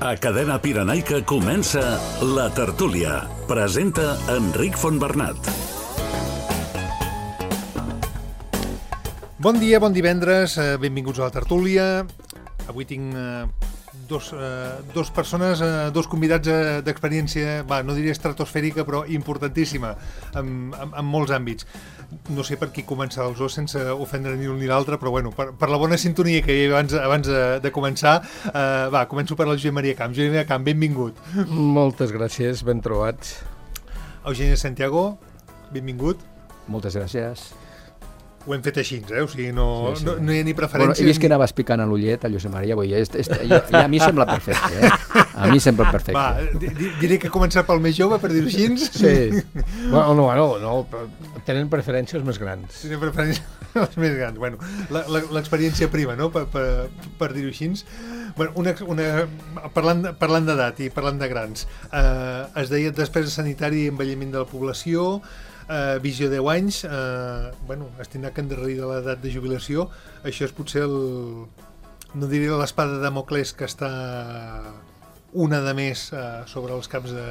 A Cadena Pirenaica comença La Tertúlia. Presenta Enric Fontbernat. Bon dia, bon divendres, benvinguts a La Tertúlia. Avui tinc dos persones, dos convidats d'experiència, no diria estratosfèrica, però importantíssima en molts àmbits. No sé per qui començar els dos sense ofendre ni un ni l'altre, però bueno, per la bona sintonia que hi havia abans de començar, començo per la Josep Maria Camp. Josep Maria Camp, benvingut. Moltes gràcies, ben trobats. Eugeni Santiago, benvingut. Moltes gràcies. Ho hem fet així, o sigui, no hi ha ni preferència. Bueno, he vist que anaves picant a l'ullet, a Josep Maria, ja a mi sembla perfecte, A mi sembla perfecte. Va, diré que començar pel més jove, per dir-ho així. Sí. Bueno, no, tenen preferències més grans. Tenen preferències més grans. Bueno, l'experiència prima, no?, per dir-ho així. Bueno, parlant d'edat i parlant de grans, es deia despesa sanitària i envelliment de la població, visió 10 anys, estimat que endarrerir de l'edat de jubilació. Això és potser no diré l'espada de Damocles que està una de més sobre els caps de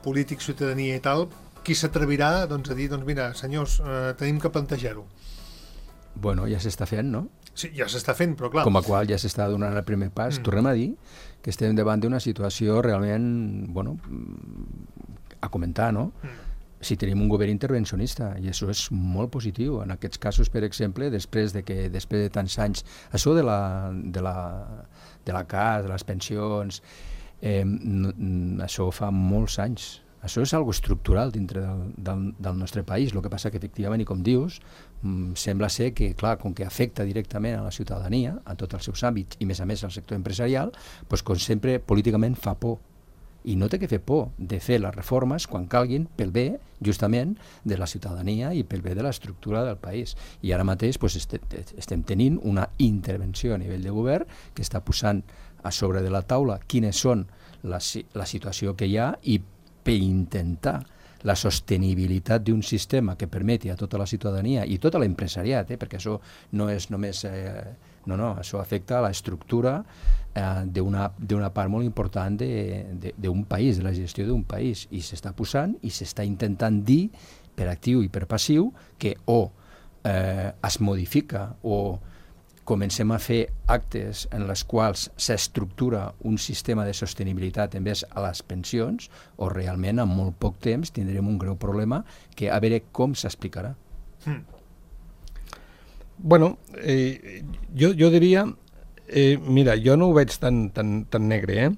polítics, ciutadania i tal. Qui s'atrevirà a dir, mira, senyors, tenim que plantejar-ho? Bueno, ja s'està fent, no? Sí, ja s'està fent, però clar... Com a qual ja s'està donant el primer pas. Tornem a dir que estem davant d'una situació realment, a comentar, no? Si tenim un govern intervencionista, i això és molt positiu. En aquests casos, per exemple, després de tants anys, això de la CAS, de les pensions, això fa molts anys. Això és algo estructural dintre del nostre país. El que passa que, efectivament, i com dius, sembla ser que, clar, com que afecta directament a la ciutadania, a tots els seus àmbits, i més a més al sector empresarial, doncs, com sempre, políticament fa por. I no té que fer por de fer les reformes quan calguin pel bé, justament, de la ciutadania i pel bé de l'estructura del país. I ara mateix estem tenint una intervenció a nivell de govern que està posant a sobre de la taula quines són la situació que hi ha i per intentar la sostenibilitat d'un sistema que permeti a tota la ciutadania i tota l'empresariat, perquè això no és només... això afecta a l'estructura d'una part molt important d'un país, de la gestió d'un país, i s'està posant i s'està intentant dir per actiu i per passiu que es modifica o comencem a fer actes en les quals s'estructura un sistema de sostenibilitat envers a les pensions, o realment en molt poc temps tindrem un greu problema que a veure com s'explicarà. Bueno, jo diria, mira, jo no ho veig tan negre,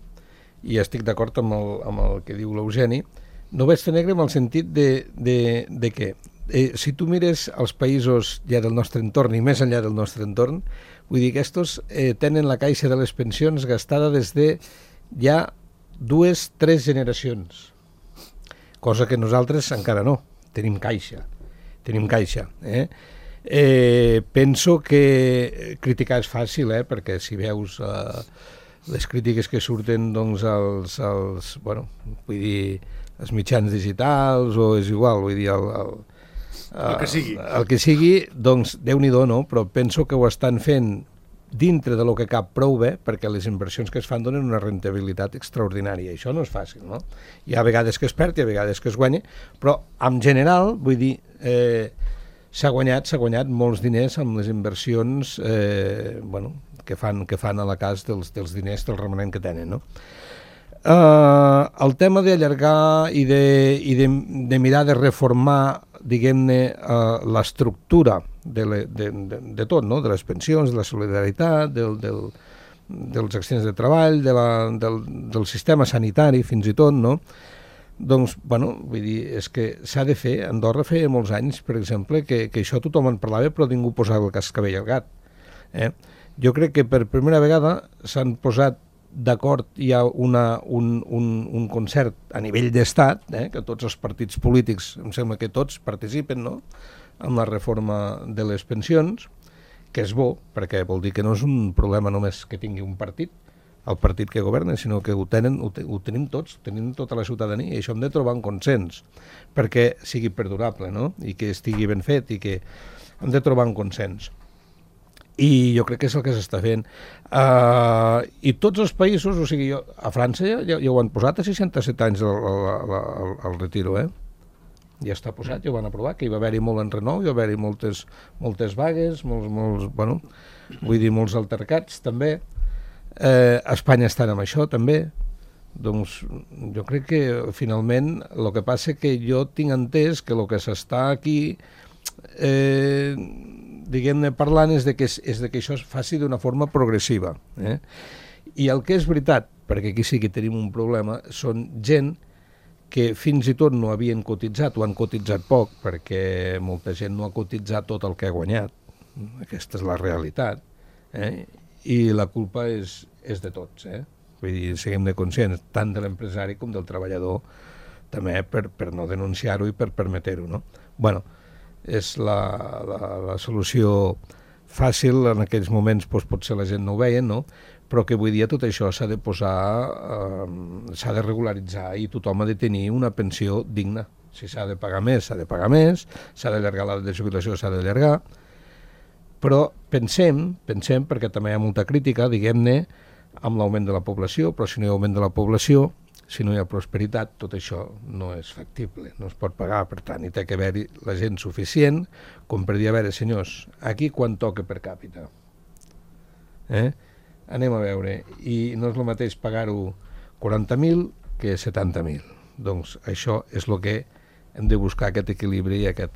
i estic d'acord amb el que diu l'Eugeni. No ho veig tan negre en el sentit de que si tu mires els països ja del nostre entorn i més enllà del nostre entorn, vull dir que estos tenen la caixa de les pensions gastada des de ja 2-3 generacions, cosa que nosaltres encara no, tenim caixa. Penso que criticar és fàcil, perquè si veus les crítiques que surten als mitjans digitals, o és igual, vull dir el que sigui, doncs Déu-n'hi-do, no? Però penso que ho estan fent dintre de lo que cap prou bé, perquè les inversions que es fan donen una rentabilitat extraordinària. Això no és fàcil, no? Hi ha vegades que es perd, hi ha vegades que es guanya, però en general, vull dir, s'ha guanyat molts diners amb les inversions que fan a la cas dels diners del remanent que tenen, no? El tema d'allargar i de mirar de reformar, diguem-ne, l'estructura de tot, no? De les pensions, de la solidaritat, dels accidents de treball, del sistema sanitari, fins i tot, no? Doncs, vull dir, és que s'ha de fer. Andorra feia molts anys, per exemple, que això tothom en parlava, però ningú posava el cascabell al gat. Jo crec que per primera vegada s'han posat d'acord, hi ha un concert a nivell d'estat, que tots els partits polítics, em sembla que tots participen, no?, amb la reforma de les pensions, que és bo, perquè vol dir que no és un problema només que tingui un partit, el partit que governa, sinó que ho tenim tots, tenim tota la ciutadania, i això hem de trobar un consens perquè sigui perdurable, no?, i que estigui ben fet, i que hem de trobar un consens. I jo crec que és el que s'està fent. I tots els països, o sigui, a França ja ho han posat a 67 anys el retiro, ja està posat, ja ho van aprovar, que hi va haver-hi molt enrenou, hi va haver-hi moltes vagues, molts altercats, també. A Espanya estan amb això, també. Doncs jo crec que, finalment, el que passa que jo tinc entès que el que s'està aquí, diguem-ne, parlant és de que això es faci d'una forma progressiva. I el que és veritat, perquè aquí sí que tenim un problema, són gent que fins i tot no havien cotitzat o han cotitzat poc, perquè molta gent no ha cotitzat tot el que ha guanyat. Aquesta és la realitat. I la culpa és de tots. Vull dir, siguem-ne conscients, tant de l'empresari com del treballador, també per no denunciar-ho i per permetre-ho, no? Bueno, és la solució fàcil, en aquells moments potser la gent no ho veia, no? Però que avui dia tot això s'ha de posar, s'ha de regularitzar i tothom ha de tenir una pensió digna. Si s'ha de pagar més, s'ha de pagar més, s'ha d'allargar l'edat de jubilació, s'ha d'allargar, però pensem, perquè també hi ha molta crítica, diguem-ne, amb l'augment de la població, però si no hi ha augment de la població, si no hi ha prosperitat, tot això no és factible, no es pot pagar, per tant, hi té que haver-hi la gent suficient com per dir, a veure, senyors, aquí quan toca per càpita? Anem a veure, i no és el mateix pagar-ho 40.000 que 70.000. Doncs això és el que hem de buscar, aquest equilibri i aquest...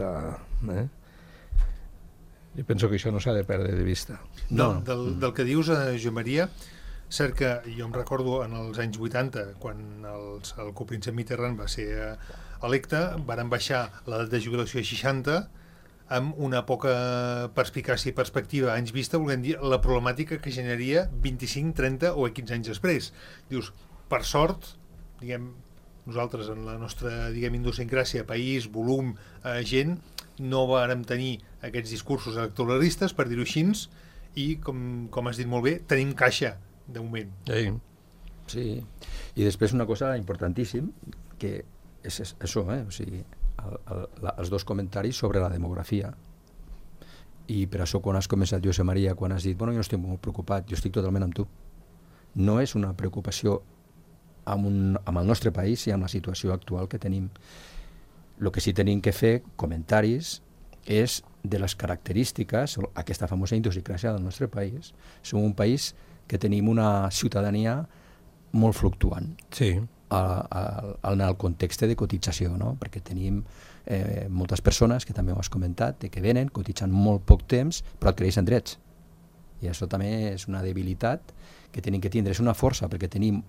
Jo penso que això no s'ha de perdre de vista. Del que dius, Joan Maria, cert que jo em recordo en els anys 80, quan el copríncep Mitterrand va ser electe, varen baixar l'edat de jubilació a 60, amb una poca perspicàcia i perspectiva anys vista, volent dir la problemàtica que generaria 25, 30 o 15 anys després. Dius, per sort, diguem, nosaltres en la nostra, diguem, idiosincràsia, país, volum, gent, no vàrem tenir aquests discursos electoralistes, per dir-ho així, i, com has dit molt bé, tenim caixa, de moment. Sí. I després una cosa importantíssim, que és això, o sigui, els dos comentaris sobre la demografia. I per això quan has començat, Josep Maria, quan has dit, bueno, jo no estic molt preocupat, jo estic totalment amb tu. No és una preocupació amb el nostre país i amb la situació actual que tenim. El que sí tenim que fer comentaris és de les característiques, aquesta famosa idiosincràsia del nostre país. Som un país que tenim una ciutadania molt fluctuant. Sí. En el context de cotització, no? Perquè tenim moltes persones, que també ho has comentat, que venen, cotitzen molt poc temps, però adquireixen drets. I això també és una debilitat que tenim que tindre. És una força, perquè tenim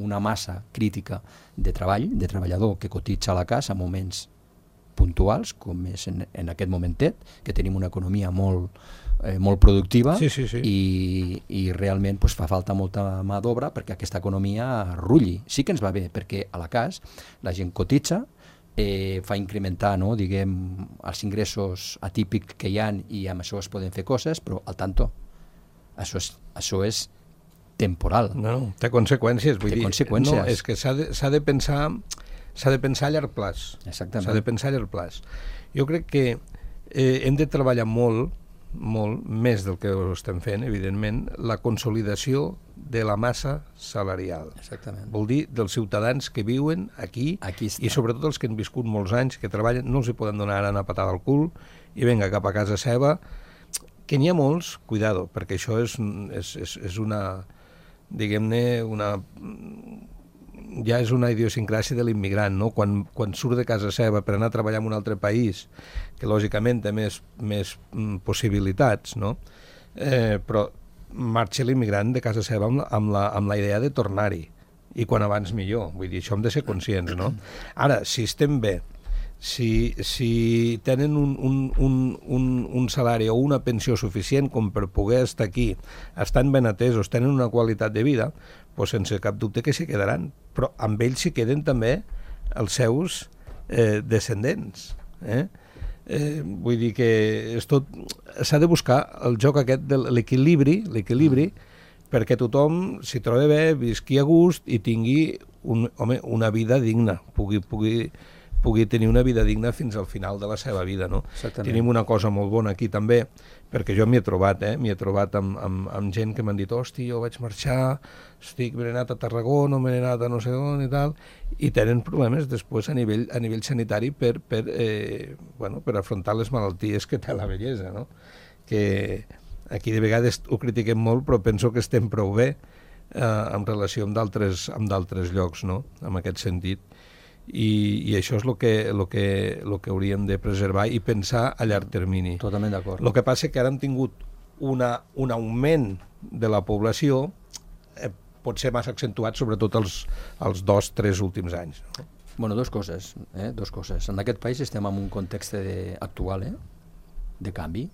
una massa crítica de treball, de treballador que cotitza a la casa en moments puntuals, com és en aquest momentet, que tenim una economia molt productiva. Sí. I realment fa falta molta mà d'obra perquè aquesta economia rulli. Sí que ens va bé, perquè a la cas la gent cotitza, fa incrementar, no, diguem, els ingressos atípics que hi ha i amb això es poden fer coses, però al tanto, això és temporal. No, té conseqüències. Té conseqüències. No, és que s'ha de pensar a llarg plaç. Exactament. S'ha de pensar a llarg plaç. Jo crec que hem de treballar molt més del que ho estem fent, evidentment, la consolidació de la massa salarial. Exactament. Vol dir dels ciutadans que viuen aquí i sobretot els que han viscut molts anys, que treballen, no els hi poden donar ara una patada al cul i venga cap a casa seva, que n'hi ha molts, cuidado, perquè això és una, diguem-ne, ja és una idiosincràsia de l'immigrant, no? Quan surt de casa seva per anar a treballar en un altre país, que lògicament té més possibilitats, no? Però marxa l'immigrant de casa seva amb la idea de tornar-hi, i quan abans millor. Vull dir, això hem de ser conscients, no? Ara, si estem bé, si tenen un salari o una pensió suficient com per poder estar aquí, estan ben atesos, tenen una qualitat de vida, doncs sense cap dubte que s'hi quedaran, però amb ells s'hi queden també els seus descendents. Vull dir que s'ha de buscar el joc aquest de l'equilibri, perquè tothom s'hi trobi bé, visqui a gust i tingui una vida digna, pugui pugui tenir una vida digna fins al final de la seva vida, no? Exactament. Tenim una cosa molt bona aquí també, perquè jo m'hi he trobat amb gent que m'han dit, hosti, jo vaig marxar, m'he anat a Tarragona, m'he anat a no sé on i tal, i tenen problemes després a nivell sanitari per afrontar les malalties que té la vellesa, no? Que aquí de vegades ho critiquem molt, però penso que estem prou bé en relació amb d'altres llocs, no? En aquest sentit. I això és el que hauríem de preservar i pensar a llarg termini. Totalment d'acord. El que passa que ara hem tingut un augment de la població pot ser massa accentuat, sobretot els 2-3 últims anys. No? Bueno, dos coses. En aquest país estem en un context actual de canvi.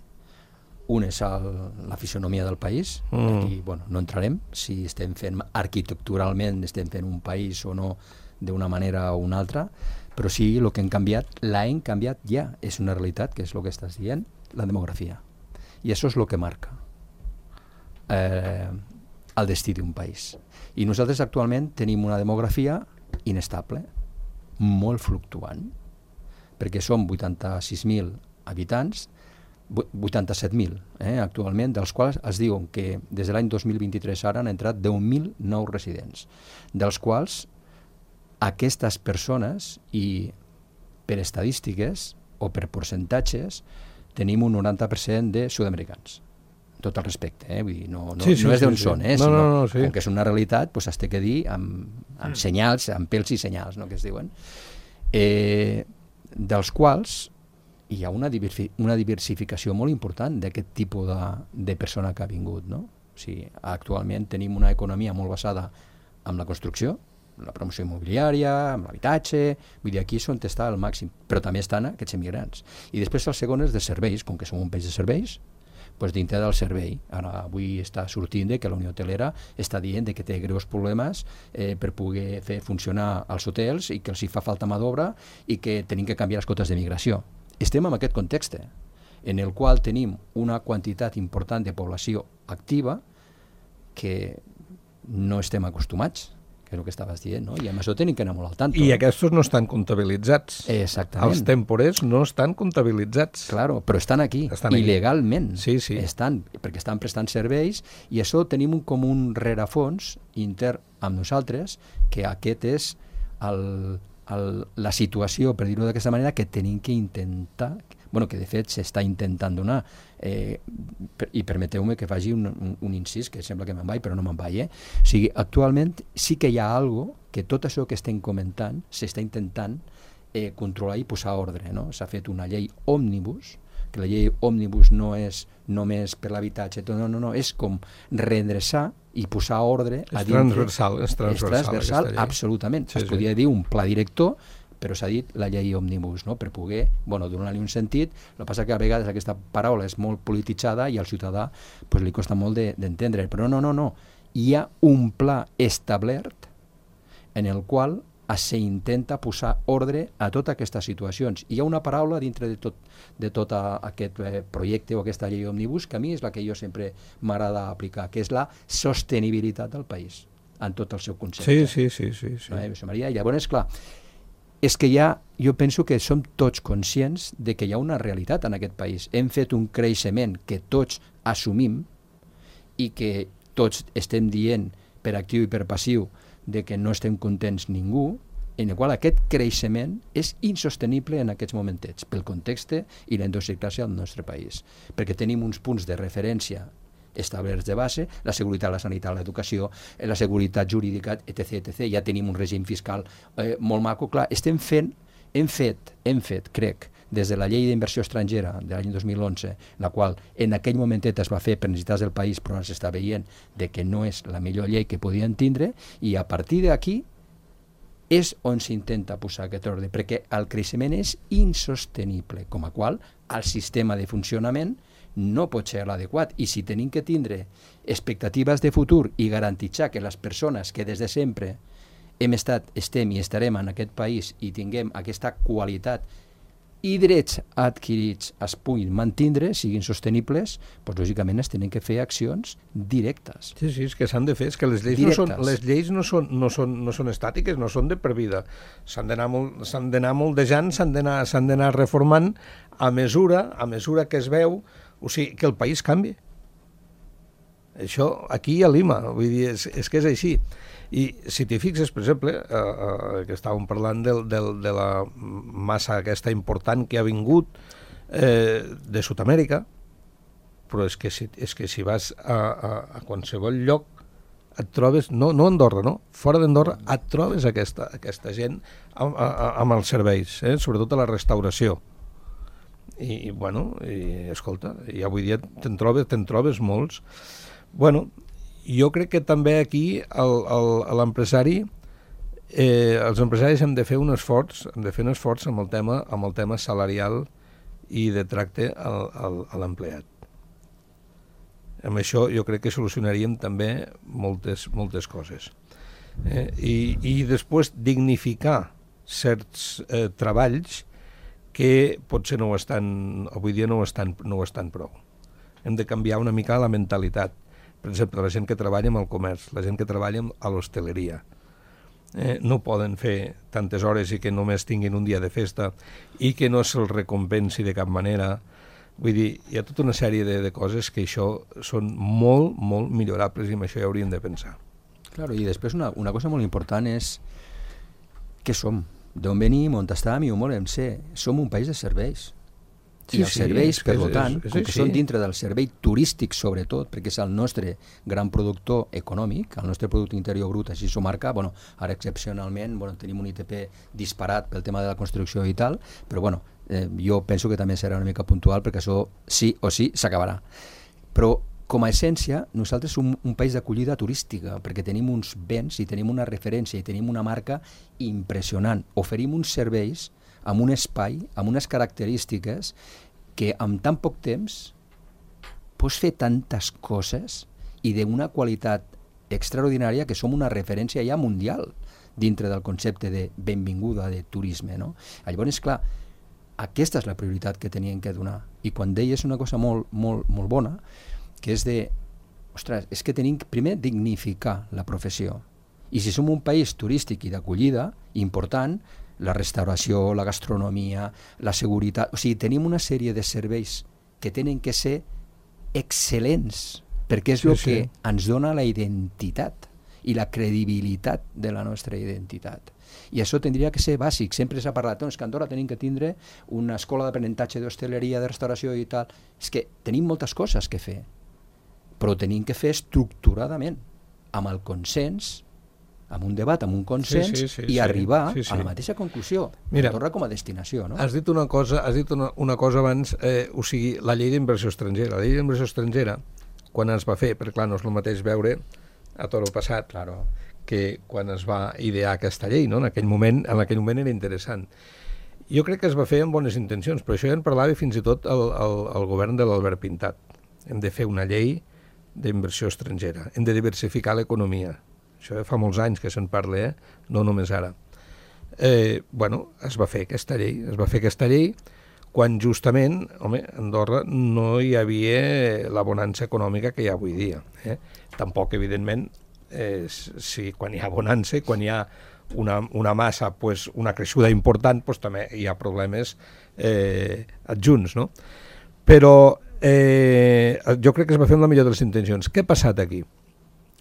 Un és la fisonomia del país, aquí no entrarem, si estem fent arquitecturalment, estem fent un país o no d'una manera o una altra, però sí, el que hem canviat ja, és una realitat, que és el que estàs dient, la demografia. I això és el que marca el destí d'un país. I nosaltres actualment tenim una demografia inestable, molt fluctuant, perquè som 86.000 habitants, 87.000 actualment, dels quals es diuen que des de l'any 2023 ara han entrat 10.000 nous residents, dels quals aquestes persones, i per estadístiques o per percentatges, tenim un 90% de sud-americans. Tot el respecte, vull dir, no és d'on són, sinó com que és una realitat, s'has de dir amb senyals, amb pèls i senyals, no, que es diuen, dels quals hi ha una diversificació molt important d'aquest tipus de persona que ha vingut, no? O sigui, actualment tenim una economia molt basada en la construcció, en la promoció immobiliària, en l'habitatge, vull dir, aquí és on està al màxim, però també estan aquests immigrants. I després el segon és de serveis, com que som un país de serveis, doncs dintre del servei. Ara avui està sortint que la Unió Hotelera està dient que té greus problemes per poder fer funcionar els hotels i que els hi fa falta mà d'obra i que tenim que canviar les cotes de migració. Estem en aquest context en el qual tenim una quantitat important de població activa que no estem acostumats, que és el que estaves dient, no? I amb això tenim que anar molt al tanto. I aquests no estan comptabilitzats. Exactament. Els temporers no estan comptabilitzats. Claro, però estan aquí, il·legalment. Sí. Perquè estan prestant serveis, i això tenim com un rerefons intern amb nosaltres, que aquest és la situació, per dir-ho d'aquesta manera, que tenim que intentar, que de fet s'està intentant donar, i permeteu-me que faci un incís, que sembla que me'n vaig, però no me'n vaig. O sigui, actualment sí que hi ha alguna cosa que tot això que estem comentant s'està intentant controlar i posar ordre, no? S'ha fet una llei òmnibus, que la llei òmnibus no és només per l'habitatge, no, és com reendreçar i posar ordre a dintre. És transversal, absolutament. Es podria dir un pla director, però s'ha dit la llei òmnibus, no? Per poder donar-li un sentit. El que passa que a vegades aquesta paraula és molt polititzada i al ciutadà li costa molt d'entendre, però no. Hi ha un pla establert en el qual s'intenta posar ordre a totes aquestes situacions. Hi ha una paraula dintre de tot aquest projecte o aquesta llei òmnibus que a mi és la que jo sempre m'agrada aplicar, que és la sostenibilitat del país en tot el seu concepte. Sí. Maria, llavors, clar, és que jo penso que som tots conscients de que hi ha una realitat en aquest país. Hem fet un creixement que tots assumim i que tots estem dient per actiu i per passiu de que no estem contents ningú, en el qual aquest creixement és insostenible en aquests momentets, pel context i la idiosincràsia del nostre país, perquè tenim uns punts de referència establerts de base, la seguretat, la sanitat, l'educació, la seguretat jurídica, etc. Ja tenim un règim fiscal molt maco. Clar, hem fet, crec, des de la llei d'inversió estrangera de l'any 2011, la qual en aquell momentet es va fer per necessitats del país, però ara s'està veient que no és la millor llei que podien tindre, i a partir d'aquí és on s'intenta posar aquest ordre, perquè el creixement és insostenible, com a qual el sistema de funcionament no pot ser l'adequat, i si tenim que tindre expectatives de futur i garantitzar que les persones que des de sempre hem estat, estem i estarem en aquest país i tinguem aquesta qualitat i drets adquirits es puguin mantindre, siguin sostenibles, doncs lògicament es tenen que fer accions directes. Sí, és que s'han de fer, és que les lleis no són estàtiques, no són de per vida. S'han d'anar moldejant, s'han d'anar reformant a mesura que es veu, o sigui, que el país canvi. Això aquí a Lima, vull dir, és que és així. I si t'hi fixes, per exemple, que estàvem parlant de la massa aquesta important que ha vingut de Sud-amèrica, però és que si vas a qualsevol lloc et trobes, no a Andorra, no, fora d'Andorra, et trobes aquesta gent amb els serveis, sobretot a la restauració. I bueno, escolta, ja avui dia te'n trobes molts. Bueno, jo crec que també aquí l'empresari, els empresaris hem de fer un esforç, amb el tema salarial i de tracte a l'empleat. Amb això jo crec que solucionaríem també moltes coses. I després dignificar certs treballs que potser avui dia no ho estan prou. Hem de canviar una mica la mentalitat. Per exemple, la gent que treballa amb el comerç, la gent que treballa a l'hostaleria. No poden fer tantes hores i que només tinguin un dia de festa i que no se'ls recompensi de cap manera. Vull dir, hi ha tota una sèrie de coses que això són molt, molt millorables i amb això ja hauríem de pensar. Claro, i després una cosa molt important és què som, d'on venim, on estem i on volem ser. Som un país de serveis. I els serveis, per tant, com que són dintre del servei turístic sobretot, perquè és el nostre gran productor econòmic, el nostre producte interior brut així s'ho marca, ara excepcionalment tenim un ITP disparat pel tema de la construcció i tal, però jo penso que també serà una mica puntual perquè això sí o sí s'acabarà. Però com a essència, nosaltres som un país d'acollida turística, perquè tenim uns béns i tenim una referència i tenim una marca impressionant. Oferim uns serveis amb un espai, amb unes característiques que amb tan poc temps pots fer tantes coses i d'una qualitat extraordinària que som una referència ja mundial dintre del concepte de benvinguda de turisme, no? Llavors, clar, aquesta és la prioritat que tenien que donar. I quan deies una cosa molt, molt, molt bona, que és és que tenim primer dignificar la professió. I si som un país turístic i d'acollida important, la restauració, la gastronomia, la seguretat... O sigui, tenim una sèrie de serveis que tenen que ser excel·lents, perquè és el que ens dona la identitat i la credibilitat de la nostra identitat. I això tindria que ser bàsic. Sempre s'ha parlat, que a Andorra tenim que tindre una escola d'aprenentatge d'hostaleria, de restauració i tal. És que tenim moltes coses que fer, però tenim que fer estructuradament, amb el consens, amb un debat, amb un consens i arribar a la mateixa conclusió. Andorra com a destinació, no? Has dit una cosa abans, o sigui, la llei d'inversió estrangera. La llei d'inversió estrangera, quan es va fer, perquè clar, no és el mateix veure a Toro Passat que quan es va idear aquesta llei, no? En aquell moment era interessant. Jo crec que es va fer amb bones intencions, però això ja en parlava fins i tot el govern de l'Albert Pintat. Hem de fer una llei d'inversió estrangera, hem de diversificar l'economia. Això fa molts anys que se'n parla, no només ara. Es va fer aquesta llei, quan justament, a Andorra no hi havia la bonança econòmica que hi ha avui dia. Tampoc, evidentment, quan hi ha bonança, quan hi ha una massa, una creixuda important, també hi ha problemes adjunts, no? Però jo crec que es va fer amb la millor de les intencions. Què ha passat aquí?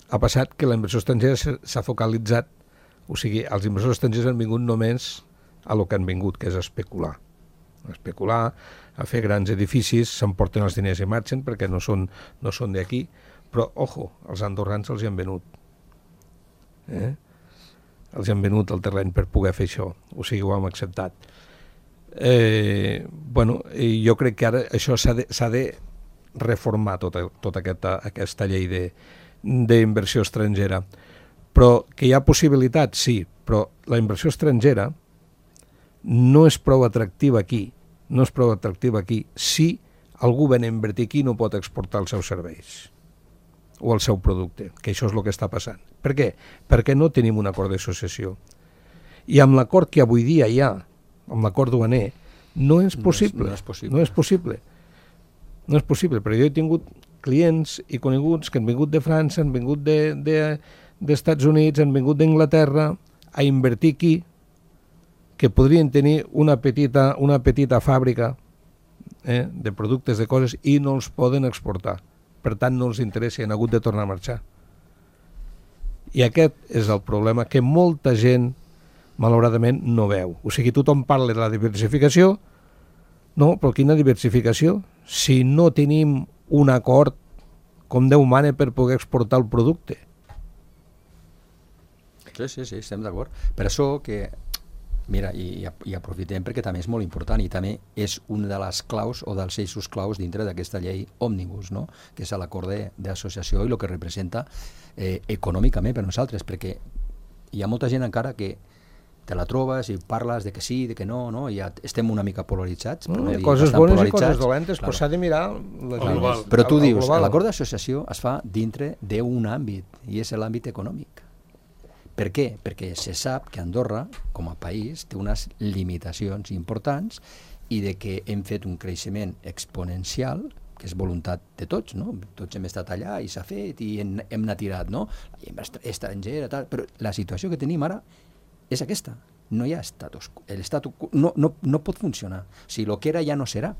Ha passat que la inversió estrangera s'ha focalitzat, o sigui, els inversors estrangers han vingut només a lo que han vingut, que és a especular, a fer grans edificis, s'emporten els diners i marxen perquè no són d'aquí, però, ojo, els andorrans els hi han venut. Els hi han venut el terreny per poder fer això, o sigui, ho hem acceptat. Jo crec que ara això s'ha de reformar tota aquesta llei d'inversió estrangera. Però que hi ha possibilitat, sí, però la inversió estrangera no és prou atractiva aquí, si algú ven a invertir aquí no pot exportar els seus serveis o el seu producte, que això és el que està passant. Per què? Perquè no tenim un acord d'associació. I amb l'acord que avui dia hi ha, amb l'acord duaner, No és possible. No és possible. No és possible. No és possible, però jo he tingut clients i coneguts que han vingut de França, han vingut d'Estats Units, han vingut d'Anglaterra a invertir aquí, que podrien tenir una petita fàbrica de productes, de coses, i no els poden exportar. Per tant, no els interessa i han hagut de tornar a marxar. I aquest és el problema que molta gent, malauradament, no veu. O sigui, tothom parla de la diversificació, no, però quina diversificació? Si no tenim un acord com Déu mana per poder exportar el producte. Sí, estem d'acord. Per això que, mira, i aprofitem perquè també és molt important i també és una de les claus o dels eixos claus dintre d'aquesta llei òmnibus, no? Que és l'acord d'associació i el que representa econòmicament per nosaltres, perquè hi ha molta gent encara que te la trobes i parles de que sí, de que no, ja estem una mica polaritzats. Hi ha coses bones i coses dolentes, però s'ha de mirar global. Però tu dius, l'acord d'associació es fa dintre d'un àmbit, i és l'àmbit econòmic. Per què? Perquè se sap que Andorra, com a país, té unes limitacions importants i de que hem fet un creixement exponencial, que és voluntat de tots, no? Tots hem estat allà i s'ha fet i hem anat tirat, no? La llengua estrangera, tal, però la situació que tenim ara és aquesta. No hi ha estatus. L'estatus no pot funcionar. O sigui, el que era ja no serà.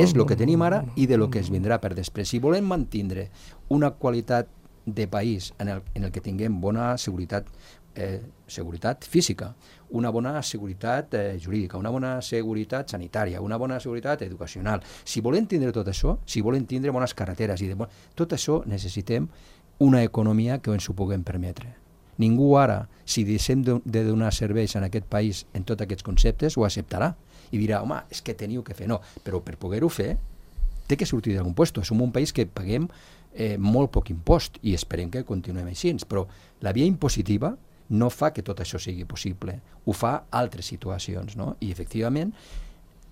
És el que tenim ara i de lo que es vindrà per després. Si volem mantindre una qualitat de país en el que tinguem bona seguretat física, una bona seguretat jurídica, una bona seguretat sanitària, una bona seguretat educacional. Si volem tindre tot això, si volem tindre bones carreteres, tot això necessitem una economia que ens ho puguem permetre. Ningú ara, si deixem de donar serveis en aquest país en tots aquests conceptes, ho acceptarà i dirà, home, és que teniu que fer. No, però per poder-ho fer té que sortir d'algun lloc. Som un país que paguem molt poc impost i esperem que continuem així, però la via impositiva no fa que tot això sigui possible, ho fa altres situacions, no? I efectivament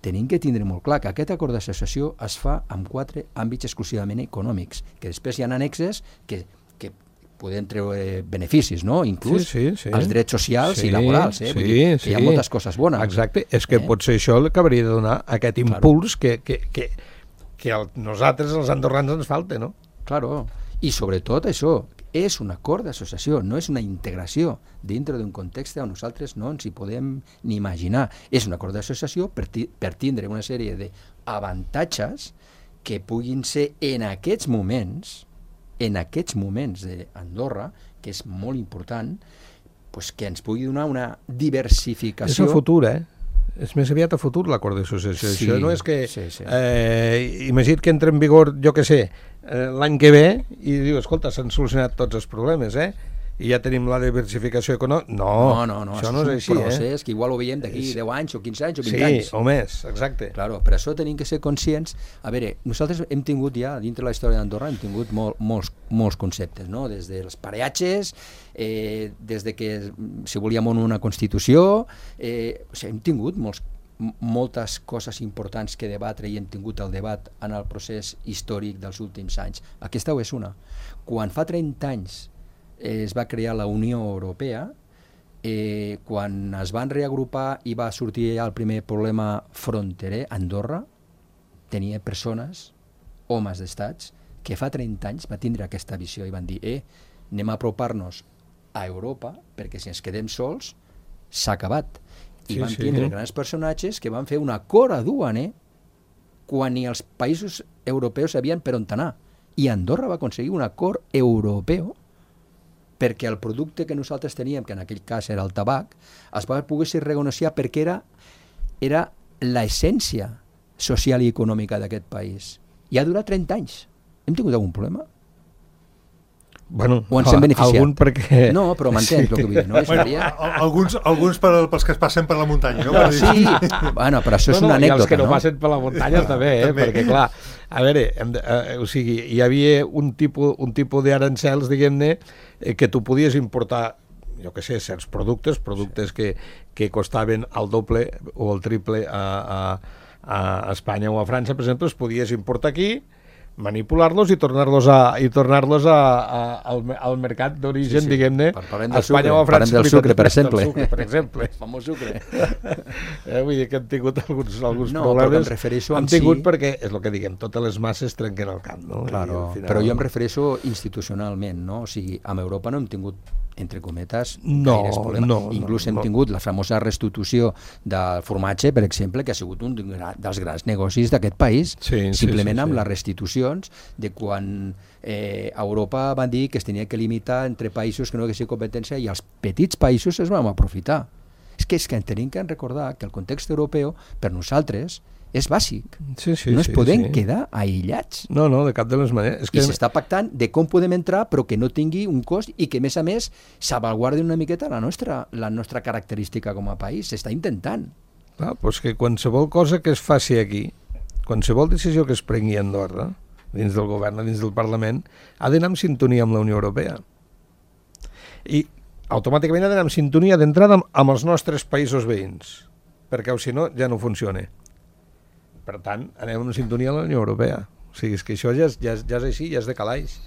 tenim que tindre molt clar que aquest acord d'associació es fa amb 4 àmbits exclusivament econòmics, que després hi ha annexes que podem treure beneficis, no? Inclús els drets socials i laborals, vull dir que hi ha moltes coses bones. Exacte, és que potser això el que hauria de donar aquest impuls que nosaltres, els andorrans, ens falta, no? Claro, i sobretot això, és un acord d'associació, no és una integració dintre d'un context on nosaltres no ens hi podem ni imaginar. És un acord d'associació per tindre una sèrie d'avantatges que puguin ser en aquests moments d'Andorra, que és molt important, pues, que ens pugui donar una diversificació. És el futur, És més aviat a futur l'acord d'associació. Sí, això no és que... Sí. Imagina't que entra en vigor, jo què sé, l'any que ve, i diu, escolta, s'han solucionat tots els problemes, i ja tenim la diversificació econòmica. No, això no és així. És un procés que igual ho veiem d'aquí 10 anys o 15 anys o 20 anys. Sí, o més, exacte. Claro, per això tenim que ser conscients. A veure, nosaltres hem tingut ja, dintre la història d'Andorra, hem tingut molts conceptes, no? Des dels pareatges, des de que si volíem una Constitució, hem tingut moltes coses importants que debatre i hem tingut el debat en el procés històric dels últims anys. Aquesta és una. Quan fa 30 anys es va crear la Unió Europea, quan es van reagrupar i va sortir el primer problema fronterer, Andorra tenia persones, homes d'estats, que fa 30 anys va tindre aquesta visió i van dir, anem a apropar-nos a Europa, perquè si ens quedem sols s'ha acabat. I van tindre grans personatges que van fer un acord duaner quan ni els països europeus sabien per on anar. I Andorra va aconseguir un acord europeu perquè el producte que nosaltres teníem, que en aquell cas era el tabac, es va poder ser renegociar perquè era l'essència social i econòmica d'aquest país. I ha durat 30 anys. Hem tingut algun problema? Bueno, o ens hem beneficiat? Algun perquè... No, però m'entens el que vull dir, no? Alguns pels que es passen per la muntanya, no? Sí, bueno, però això és una anècdota, no? I els que no passen per la muntanya també, perquè clar, a veure, o sigui, hi havia un tipus d'arancels, diguem-ne, que tu podies importar, jo què sé, certs productes que costaven el doble o el triple a Espanya o a França, per exemple, els podies importar aquí, manipular-los i tornar-los al mercat d'origen, diguem-ne, a Espanya o a França. Parlem del sucre, per exemple. Per exemple. El famós sucre. Vull dir que han tingut alguns problemes. No, però em refereixo han tingut perquè, és el que diguem, totes les masses trenquen el camp, no? Claro, però jo em refereixo institucionalment, no? O sigui, amb Europa no hem tingut, entre cometes, gaires problemes. Inclús hem tingut la famosa restitució del formatge, per exemple, que ha sigut un dels grans negocis d'aquest país, simplement amb les restitucions de quan Europa van dir que es tenia que limitar entre països que no haguessin competència i els petits països es van aprofitar. És que tenim que recordar que el context europeu, per nosaltres, és bàsic. No es podem quedar aïllats. No, de cap de les maneres. I s'està pactant de com podem entrar però que no tingui un cost i que, a més, salvaguardi una miqueta la nostra característica com a país. S'està intentant. Doncs que qualsevol cosa que es faci aquí, qualsevol decisió que es prengui a Andorra, dins del govern, dins del Parlament, ha d'anar en sintonia amb la Unió Europea. I automàticament ha d'anar en sintonia d'entrada amb els nostres països veïns, perquè si no ja no funciona. Per tant, anem en sintonia amb la Unió Europea. O sigui, és que això ja és així, ja és de calaix.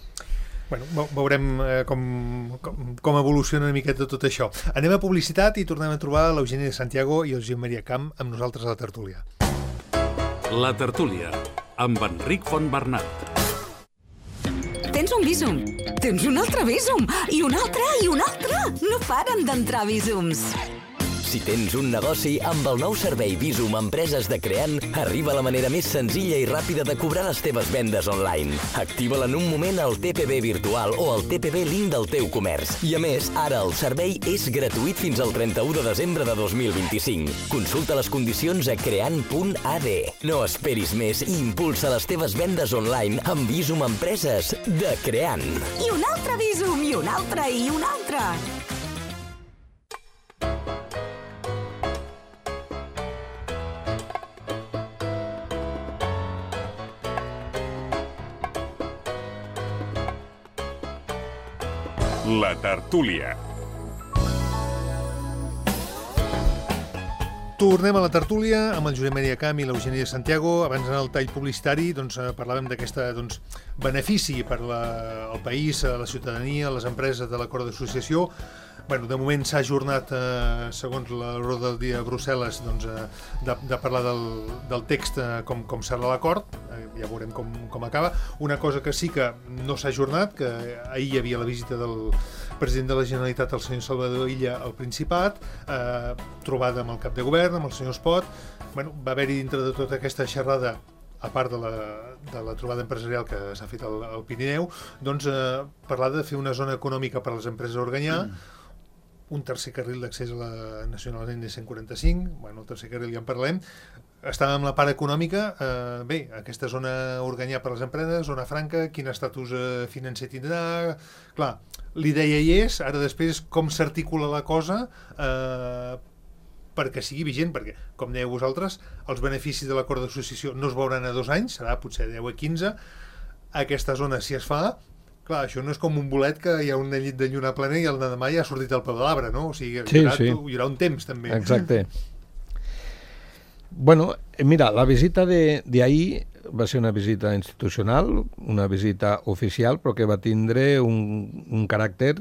Bueno, veurem com evoluciona una miqueta tot això. Anem a publicitat i tornem a trobar l'Eugènia Santiago i el Josep Maria Camp amb nosaltres a la tertúlia. La tertúlia, amb Enric Fontbernat. Tens un Bizum, tens un altre Bizum, i un altre, i un altre. No paren d'entrar Bizums. Si tens un negoci, amb el nou servei Bizum Empreses de Creant, arriba la manera més senzilla i ràpida de cobrar les teves vendes online. Activa-la en un moment al TPB virtual o al TPB link del teu comerç. I a més, ara el servei és gratuït fins al 31 de desembre de 2025. Consulta les condicions a creant.ad. No esperis més i impulsa les teves vendes online amb Bizum Empreses de Creant. I un altre Bizum, i un altre, i un altre. La tertúlia. Tornem a la tertúlia amb el Josep Maria Camp i l'Eugènia Santiago. Abans d'anar al tall publicitari parlàvem d'aquest benefici per al país, a la ciutadania, a les empreses de l'acord d'associació. De moment s'ha ajornat, segons l'ordre del dia a Brussel·les, de parlar del text com serà l'acord. Ja veurem com acaba. Una cosa que sí que no s'ha ajornat, que ahir hi havia la visita del president de la Generalitat, el senyor Salvador Illa, al Principat, trobada amb el cap de govern, amb el senyor Espot. Va haver-hi dintre de tota aquesta xerrada, a part de la trobada empresarial que s'ha fet al Pirineu, parlar de fer una zona econòmica per a les empreses a Organyà, un tercer carril d'accés a la Nacional N145, el tercer carril ja en parlem. Estàvem amb la part econòmica, aquesta zona Organyà per a les empreses, zona franca, quin estatus financer tindrà. Clar, l'idea hi és, ara després com s'articula la cosa perquè sigui vigent, perquè, com dèieu vosaltres, els beneficis de l'acord d'associació no es veuran a 2 anys, serà potser 10 a 15. Aquesta zona, si es fa, clar, això no és com un bolet que hi ha una llit de lluna plena i el demà ja ha sortit el peu de l'arbre, no? O sigui, hi haurà un temps, també. Exacte. Mira, la visita d'ahir va ser una visita institucional, una visita oficial, però que va tindre un caràcter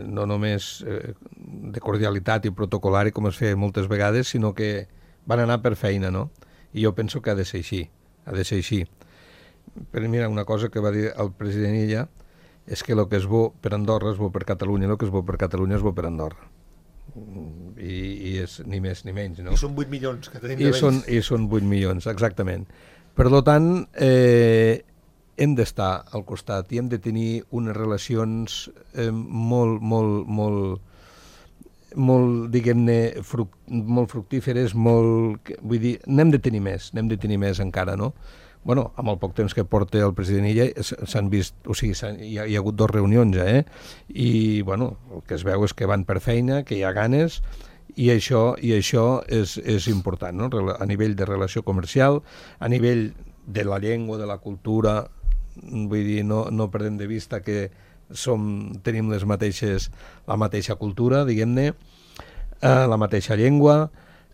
no només de cordialitat i protocolari, com es feia moltes vegades, sinó que van anar per feina, no? I jo penso que ha de ser així. Però mira, una cosa que va dir el president Illa és que el que és bo per Andorra és bo per Catalunya, el que és bo per Catalunya és bo per Andorra. I és ni més ni menys, no? I són 8 milions que tenim de béns. I són 8 milions, exactament. Per tant, hem d'estar al costat i hem de tenir unes relacions molt diguem-ne, molt fructíferes, vull dir, n'hem de tenir més encara, no? Amb el poc temps que porta el president Illa s'han vist, o sigui, hi ha hagut 2 reunions, i el que es veu és que van per feina, que hi ha ganes, i això és important, no? A nivell de relació comercial, a nivell de la llengua, de la cultura, vull dir, no perdem de vista que tenim la mateixa cultura, diguem-ne, la mateixa llengua,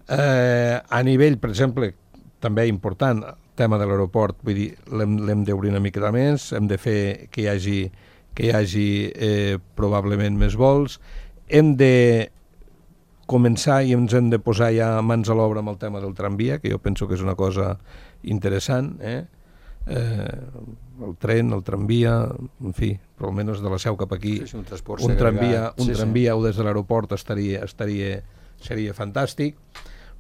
a nivell, per exemple, també important, tema de l'aeroport, vull dir, l'hem d'obrir una mica més, hem de fer que hi hagi probablement més vols, hem de començar i ens hem de posar ja mans a l'obra amb el tema del tramvia, que jo penso que és una cosa interessant, el tren, el tramvia, en fi, però almenys de la Seu cap aquí, un transport un segregat. tramvia o des de l'aeroport seria fantàstic.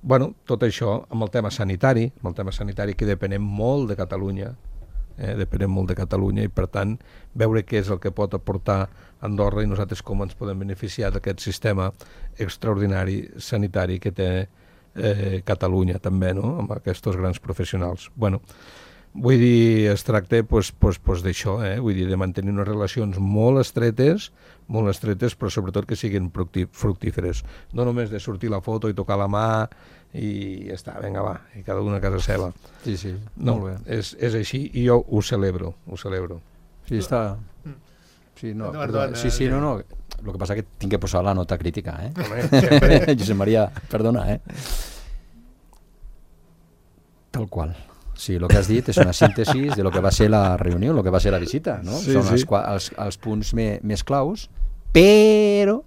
Bueno, tot això amb el tema sanitari, que depenem molt de Catalunya, i per tant veure què és el que pot aportar Andorra i nosaltres com ens podem beneficiar d'aquest sistema extraordinari sanitari que té Catalunya també, no? Amb aquests grans professionals. Bueno, vull dir, es tracta d'això, vull dir, de mantenir unes relacions molt estretes, però sobretot que siguin fructíferes. No només de sortir la foto i tocar la mà i ja està, vinga, va, i cada una a casa seva. Sí, sí, no, molt bé. És així i jo ho celebro. Sí, està... Sí, no, perdona. Sí, no. El que passa és que tinc que posar la nota crítica, Josep Maria, perdona, Tal qual. Sí, el que has dit és una síntesi de lo que va ser la reunió, el que va ser la visita, no? Sí, són els punts més claus, però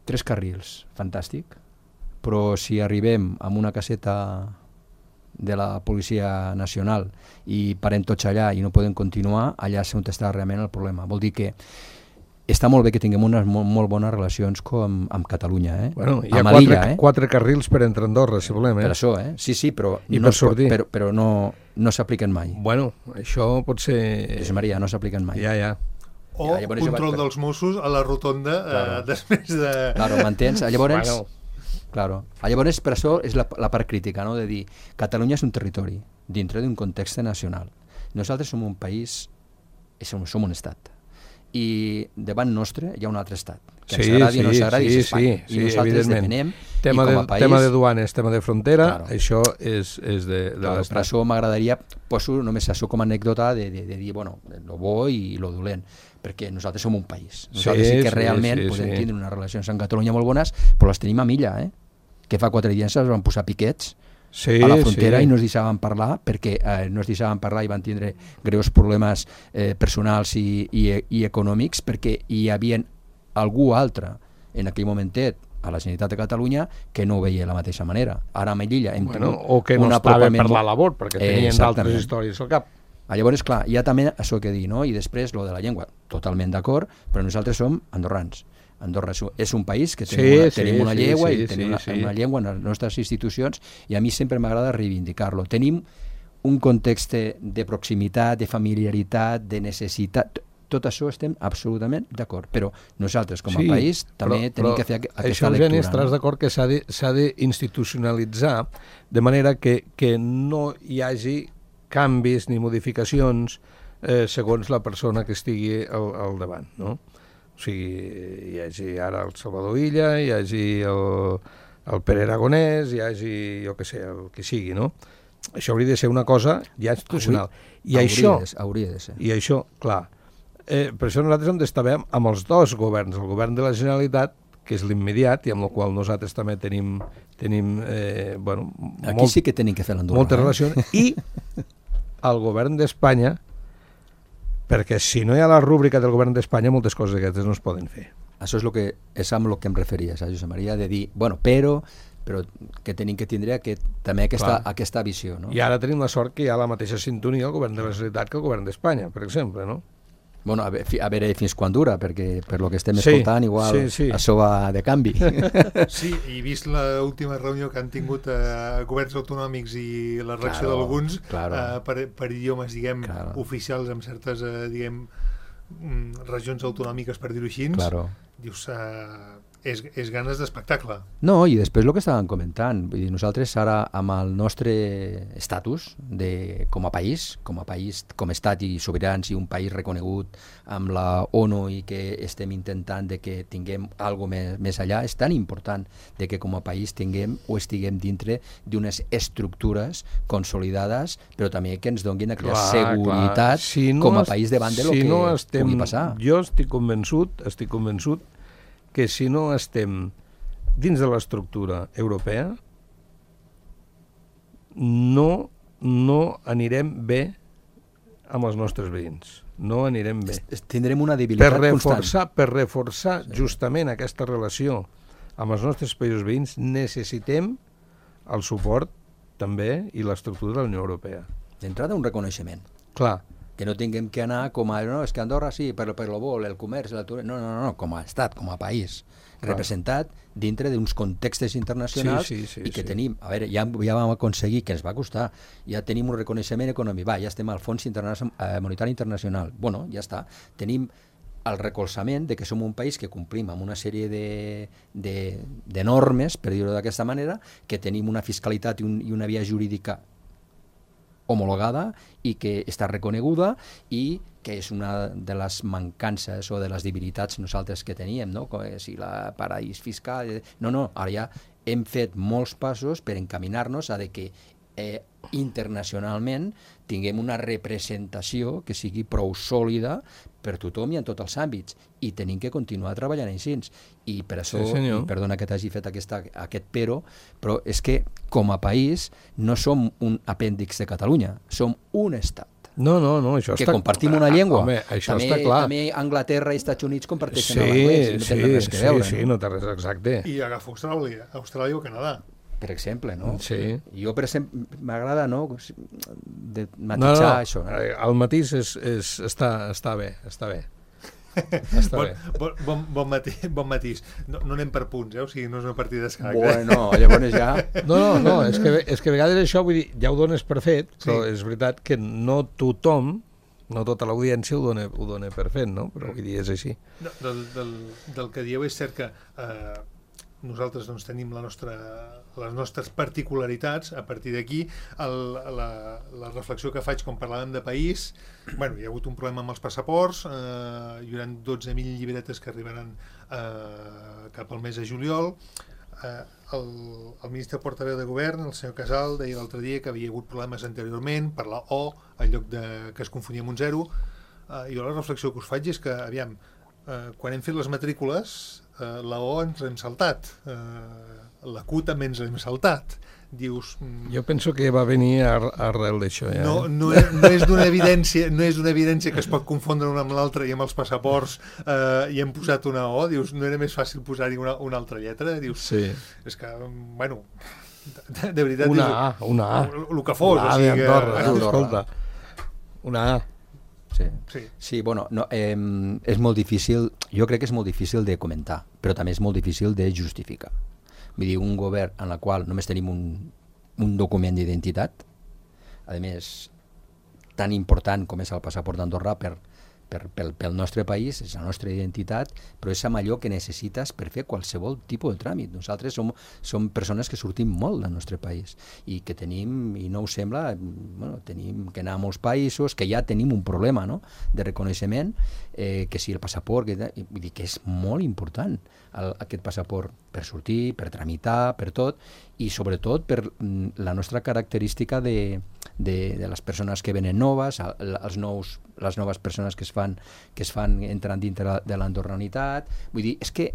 3 carrils, fantàstic, però si arribem amb una caseta de la Policia Nacional i parem tots allà i no podem continuar, allà és on està realment el problema. Vol dir que està molt bé que tinguem unes molt bones relacions amb Catalunya, Bueno, hi ha 4 carrils per entre Andorra, si volem, Per això, Sí, però no s'apliquen mai. Bueno, això pot ser... Josep Maria, no s'apliquen mai. Ja. O control dels Mossos a la rotonda després de... Claro, m'entens? Llavors, per això és la part crítica, no? De dir, Catalunya és un territori dintre d'un context nacional. Nosaltres som un país, som un estat, i davant nostre hi ha un altre estat, que ens agradi o no s'agradi, és Espanya. I nosaltres depenem, i com a país... Tema de duanes, tema de frontera, això és de l'estat. Per això m'agradaria, poso només això com a anècdota de dir, bueno, lo bo i lo dolent, perquè nosaltres som un país. Nosaltres sí que realment podem tindre unes relacions amb Catalunya molt bones, però les tenim a milla, que fa 4 dies ens van posar piquets a la frontera i no es deixaven parlar perquè i van tindre greus problemes personals i econòmics perquè hi havia algú altre en aquell momentet a la Generalitat de Catalunya que no ho veia de la mateixa manera. Ara a Melilla hem tingut o que no estava per la labor perquè tenien d'altres històries al cap. Llavors, clar, hi ha també això que dir, no? I després, lo de la llengua, totalment d'acord, però nosaltres som andorrans. Andorra és un país que tenim una llengua i tenim una llengua en les nostres institucions i a mi sempre m'agrada reivindicar-lo. Tenim un context de proximitat, de familiaritat, de necessitat, tot això estem absolutament d'acord, però nosaltres com a país també tenim que fer aquesta lectura. Això, Eugeni, estaràs d'acord que s'ha d'institucionalitzar de manera que no hi hagi canvis ni modificacions segons la persona que estigui al davant, no? O sigui, hi hagi ara el Salvador Illa, hi hagi el Pere Aragonès, hi hagi, jo què sé, el que sigui, no? Això hauria de ser una cosa ja institucional. Hauria de ser. I això, clar, per això nosaltres hem d'estar bé amb els dos governs, el govern de la Generalitat, que és l'immediat, i amb el qual nosaltres també tenim bueno, aquí sí que tenim que fer l'Andorra. Moltes relacions, i el govern d'Espanya, perquè si no hi ha la rúbrica del govern d'Espanya moltes coses aquestes no es poden fer. Això és amb el que em referia, Josep Maria, de dir, bueno, però que tenim que tindre també aquesta visió, no? I ara tenim la sort que hi ha la mateixa sintonia al govern de la Generalitat que el govern d'Espanya, per exemple, no? Bueno, a veure fins quan dura, perquè per lo que estem escoltant igual això va de canvi. Sí, i vist l'última reunió que han tingut governs autonòmics i la reacció d'alguns per idiomes, diguem, oficials amb certes, diguem, regions autonòmiques, per dir-ho així, dius, és ganes d'espectacle. No, i després el que estàvem comentant, vull dir, nosaltres ara amb el nostre estatus com a país, com a estat i sobirans i un país reconegut amb la ONU i que estem intentant de que tinguem alguna cosa més allà, és tan important de que com a país tinguem o estiguem dintre d'unes estructures consolidades, però també que ens donin aquella seguretat com a país davant de lo que pugui passar. Jo estic convençut que si no estem dins de l'estructura europea, no anirem bé amb els nostres veïns. No anirem bé. Tindrem una debilitat constant. Per reforçar justament aquesta relació amb els nostres països veïns necessitem el suport també i l'estructura de la Unió Europea. D'entrada, un reconeixement. Clar. Que no tinguem que anar com a... No, és que Andorra sí, per lo vol, el comerç, la turisme... No, com a estat, com a país, representat dintre d'uns contextes internacionals i que tenim... A veure, ja vam aconseguir, que ens va costar, ja tenim un reconeixement econòmic, ja estem al Fons Monetari Internacional. Bueno, ja està. Tenim el recolzament de que som un país que complim amb una sèrie de normes, per dir-ho d'aquesta manera, que tenim una fiscalitat i una via jurídica homologada i que està reconeguda i que és una de les mancances o de les debilitats nosaltres que teníem, no? Si la paraís fiscal... No, ara ja hem fet molts passos per encaminar-nos a que internacionalment tinguem una representació que sigui prou sòlida per tothom i en tots els àmbits, i tenim que continuar treballant així. I per això, perdona que t'hagi fet aquest però és que com a país no som un apèndix de Catalunya, som un estat. No, això que està... compartim una llengua. Home, això està clar. També Anglaterra i Estats Units comparteixen l'anglès, no té res que veure. Sí, no té res exacte. I agafa Austràlia o Canadà. Per exemple, no? Sí. Jo, per exemple, m'agrada, no?, de matitzar això. El matís està bé. Bon matís. No anem per punts, o sigui, no és una partida d'escac. Bueno, llavors ja... No, és que a vegades això, vull dir, ja ho dones per fet, però és veritat que no tothom, no tota l'audiència ho dona per fet, no? Però vull dir, és així. Del que dieu és cert que nosaltres doncs, tenim les nostres particularitats. A partir d'aquí, la reflexió que faig quan parlàvem de país, hi ha hagut un problema amb els passaports, hi haurà 12.000 llibretes que arribaran cap al mes de juliol. El ministre portaveu de govern, el senyor Casal, deia l'altre dia que havia hagut problemes anteriorment per la O, en lloc que es confonia amb un 0. Jo la reflexió que us faig és que, aviam, quan hem fet les matrícules, la O ens l'hem saltat, la Q també ens l'hem saltat. Dius... Jo penso que va venir arrel d'això. Ja. No és d'una evidència que es pot confondre una amb l'altra, i amb els passaports hi hem posat una O. Dius, no era més fàcil posar-hi una altra lletra? Dius, sí. És que, bueno, de veritat... Una A. El que fos. Una A d'Andorra, escolta. Una A. Sí, bueno, és molt difícil, jo crec que és molt difícil de comentar, però també és molt difícil de justificar. Vull dir, un govern en el qual només tenim un document d'identitat, a més, tan important com és el passaport d'Andorra pel nostre país, és la nostra identitat, però és amb allò que necessites per fer qualsevol tipus de tràmit. Nosaltres som persones que sortim molt del nostre país i que tenim, i no us sembla, tenim que anar a molts països, que ja tenim un problema, no?, de reconeixement, que si el passaport, vull dir que és molt important aquest passaport per sortir, per tramitar, per tot, i sobretot per la nostra característica de les persones que venen noves, les noves persones que es fan entrant dintre de l'andorranitat. Vull dir, és que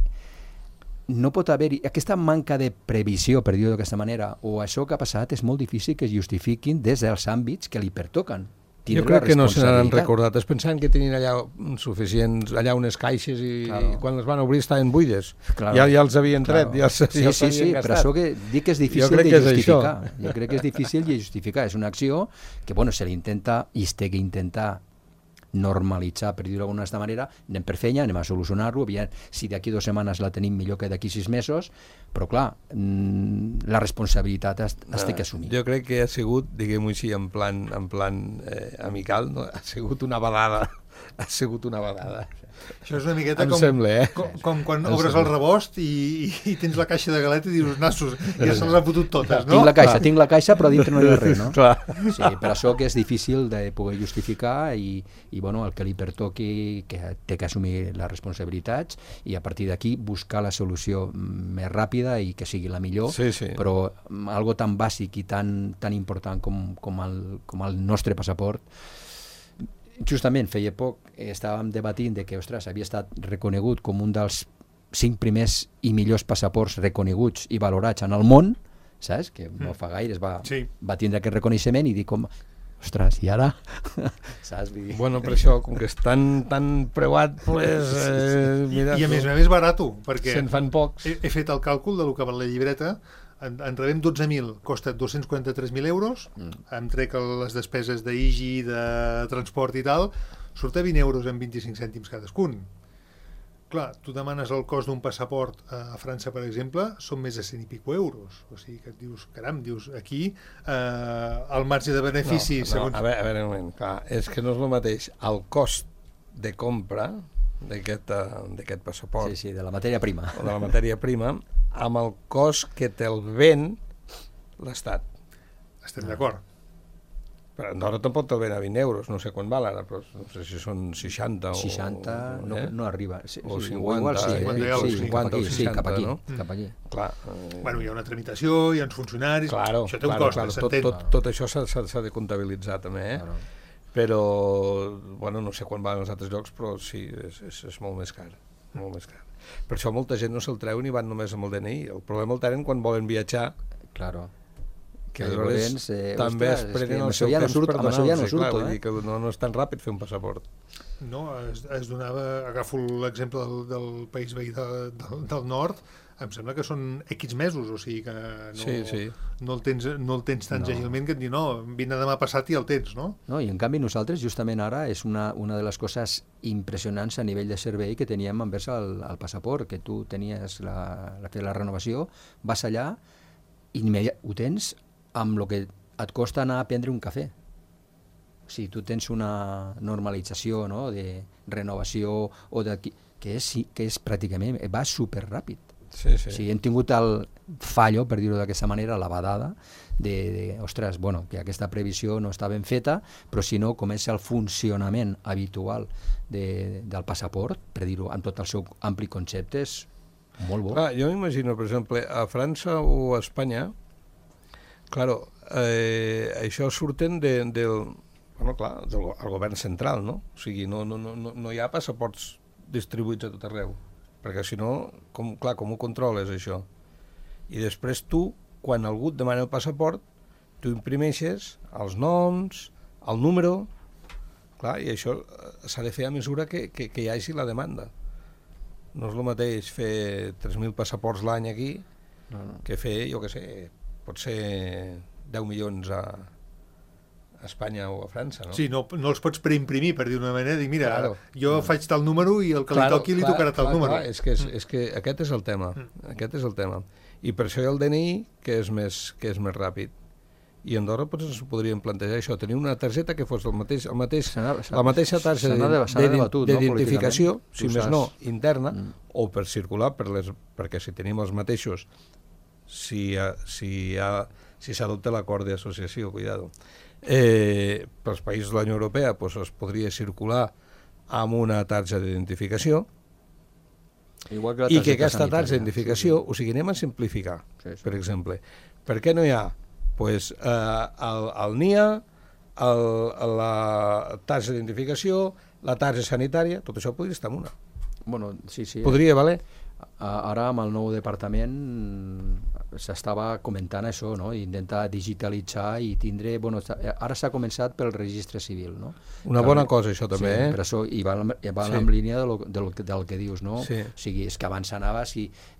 no pot haver-hi aquesta manca de previsió, per dir-ho d'aquesta manera, o això que ha passat és molt difícil que es justifiquin des dels àmbits que li pertoquen. Jo crec que no se n'han recordat. Es pensaven que tenien allà suficients, allà unes caixes i quan les van obrir estaven buides. Ja els havien tret, ja els havien gastat. Sí, però això que dic que és difícil de justificar. Jo crec que és difícil de justificar. És una acció que, se l'intenta i es té que intentar normalitzar, per dir-ho d'alguna manera, anem per feina, anem a solucionar-lo, si d'aquí 2 setmanes la tenim millor que d'aquí 6 mesos, però clar, la responsabilitat es té que assumir. Jo crec que ha sigut, diguem-ho així, en plan amical, no? Ha sigut una vedada. Això és una miqueta com quan obres el rebost i tens la caixa de galeta i dius, nassos, ja se les ha fotut totes, no? Tinc la caixa, però dintre no hi ha res, no? Sí, per això que és difícil de poder justificar i el que li pertoqui, que té que assumir les responsabilitats i a partir d'aquí buscar la solució més ràpida i que sigui la millor, però algo tan bàsic i tan important com el nostre passaport. Justament feia poc estàvem debatint de que, havia estat reconegut com un dels 5 primers i millors passaports reconeguts i valorats en el món, saps? Que no fa gaire va tindre aquest reconeixement i dir com, ostres, i ara? Saps? Bueno, per això, com que és tan preuat, pues, mira, I a més barato, perquè se'n fan pocs. He fet el càlcul de lo que val la llibreta, en rebem 12.000, costa 243.000 euros, em trec les despeses d'IGI, de transport i tal, surt a 20 euros amb 25 cèntims cadascun. Clar, tu demanes el cost d'un passaport a França, per exemple, són més de 100 i pico euros. O sigui que et dius, caram, aquí el marge de benefici... No, a veure, un moment, clar, és que no és el mateix el cost de compra d'aquest passaport. Sí, de la matèria prima. O de la matèria prima, amb el cost que te'l ven l'Estat. Estem d'acord. Però Andorra tampoc te'l ven a 20 euros, no sé quan val ara, però no sé si són 60 o... 60 no arriba. O 50, cap aquí. Cap allí. Clar. Bueno, hi ha una tramitació, hi ha uns funcionaris, això té un cost, s'entén. Tot això s'ha de comptabilitzar també, Claro. Però, bueno, no sé quan van als altres llocs, però sí, és molt més car. Molt més car. Per això molta gent no se'l treu ni van només amb el DNI. El problema el tenen quan volen viatjar. Claro. Que aleshores també es prenen el seu temps per donar-los, vull dir que no és tan ràpid fer un passaport. No, es donava, agafo l'exemple del país veí del nord, em sembla que són X mesos, o sigui que no el tens tan àgilment que et diu, no, vine demà passat i el tens, no? No, i en canvi nosaltres justament ara és una de les coses impressionants a nivell de servei que teníem envers el passaport, que tu tenies la renovació, vas allà i ho tens amb el que et costa anar a prendre un cafè. O sigui, tu tens una normalització, no?, de renovació que és pràcticament, va superràpid. Sí. O sigui, hem tingut el fallo, per dir-ho d'aquesta manera, la badada ostres, bueno, que aquesta previsió no està ben feta, però si no, com és el funcionament habitual del passaport, per dir-ho amb tot el seu ampli concepte, és molt bo. Clar, jo m'imagino, per exemple, a França o a Espanya, claro, això surten del govern central, no? O sigui, no hi ha passaports distribuïts a tot arreu, perquè si no, com ho controles, això? I després tu, quan algú et demana el passaport, tu imprimeixes els noms, el número, clar, i això s'ha de fer a mesura que hi hagi la demanda. No és el mateix fer 3.000 passaports l'any aquí que fer, jo què sé, pot ser 10 milions a Espanya o a França, no? Sí, no els pots preimprimir, per dir d'una manera, dir, mira, jo faig tal número i el que li toqui li tocarà tal número. És que aquest és el tema, I per això hi ha el DNI, que és més ràpid. I a Andorra ens podríem plantejar això, tenir una targeta que fos la mateixa targeta d'identificació, si més no, interna, o per circular, perquè si tenim els mateixos, si s'adopta l'acord d'associació, cuidado, pels països de la Unió Europea es podria circular amb una targeta d'identificació i que aquesta targeta d'identificació, o sigui, anem a simplificar, per exemple. Per què no hi ha el NIA, la targeta d'identificació, la targeta sanitària, tot això podria estar en una. Bueno, sí. Podria valer. Ara amb el nou departament s'estava comentant això, no? Intentar digitalitzar i tindre... Bueno, ara s'ha començat pel registre civil, no? Una bona cosa, això també, per això, i va en línia del que dius, no? O sigui, és que abans anava,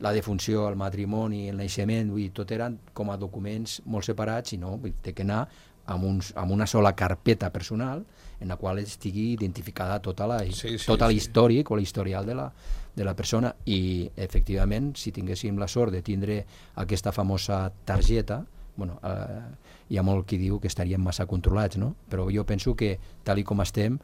la defunció, el matrimoni, el naixement, tot eren com a documents molt separats i no, té que anar amb una sola carpeta personal en la qual estigui identificada tot l'històric o l'historial de la persona i efectivament si tinguéssim la sort de tindre aquesta famosa targeta, bueno, hi ha molt qui diu que estaríem massa controlats, no? Però jo penso que tal com estem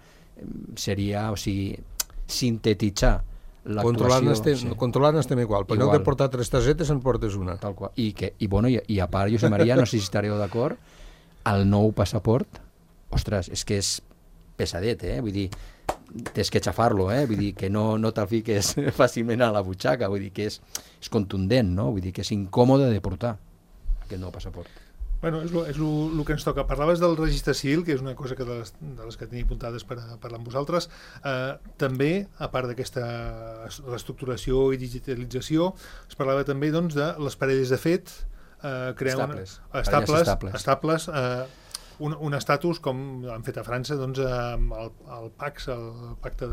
seria, o sigui, sintetitzar l'actuació... Controlant estem igual, per lloc de portar 3 targetes en portes una. Tal qual. I a part, Josep Maria, no sé si estareu d'acord, el nou passaport, ostres, és que és pesadet, vull dir, tens que xafar-lo, vull dir que no te'l fiques fàcilment a la butxaca, vull dir que és contundent, no? Vull dir que és incòmode de portar aquest nou passaport. Bueno, és el que ens toca. Parlaves del registre civil, que és una cosa de les que tenia apuntades per parlar amb vosaltres. També, a part d'aquesta reestructuració i digitalització, es parlava també de les parelles de fet, crear estables, un estatus com han fet a França, doncs, el PACS, el Pacte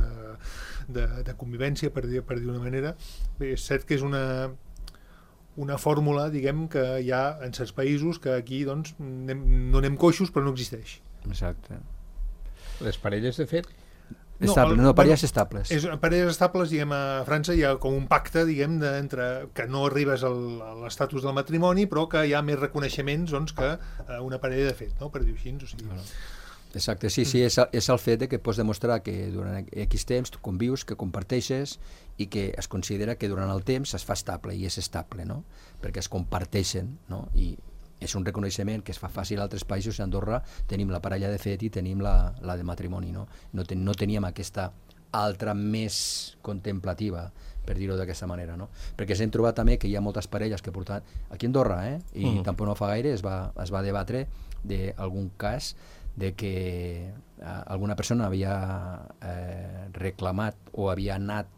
de Convivència, per dir d'una manera. Bé, és cert que és una fórmula, diguem, que hi ha en certs països que aquí, doncs, no anem coixos, però no existeix. Exacte. Les parelles, de fet, parelles estables. Parelles estables, diguem, a França hi ha com un pacte, diguem, que no arribes a l'estatus del matrimoni, però que hi ha més reconeixements, doncs, que una parella de fet, no? Per dir-ho així, o sigui... Exacte, sí, és el fet que pots demostrar que durant X temps tu convius, que comparteixes i que es considera que durant el temps es fa estable i és estable, no? Perquè es comparteixen, no? I és un reconeixement que es fa fàcil a altres països. A Andorra tenim la parella de fet i tenim la de matrimoni, no? No teníem aquesta altra més contemplativa, per dir-ho d'aquesta manera, no? Perquè s'hem trobat també que hi ha moltes parelles que portaven aquí a Andorra, i tampoc no fa gaire es va debatre d'algun cas de que alguna persona havia reclamat o havia anat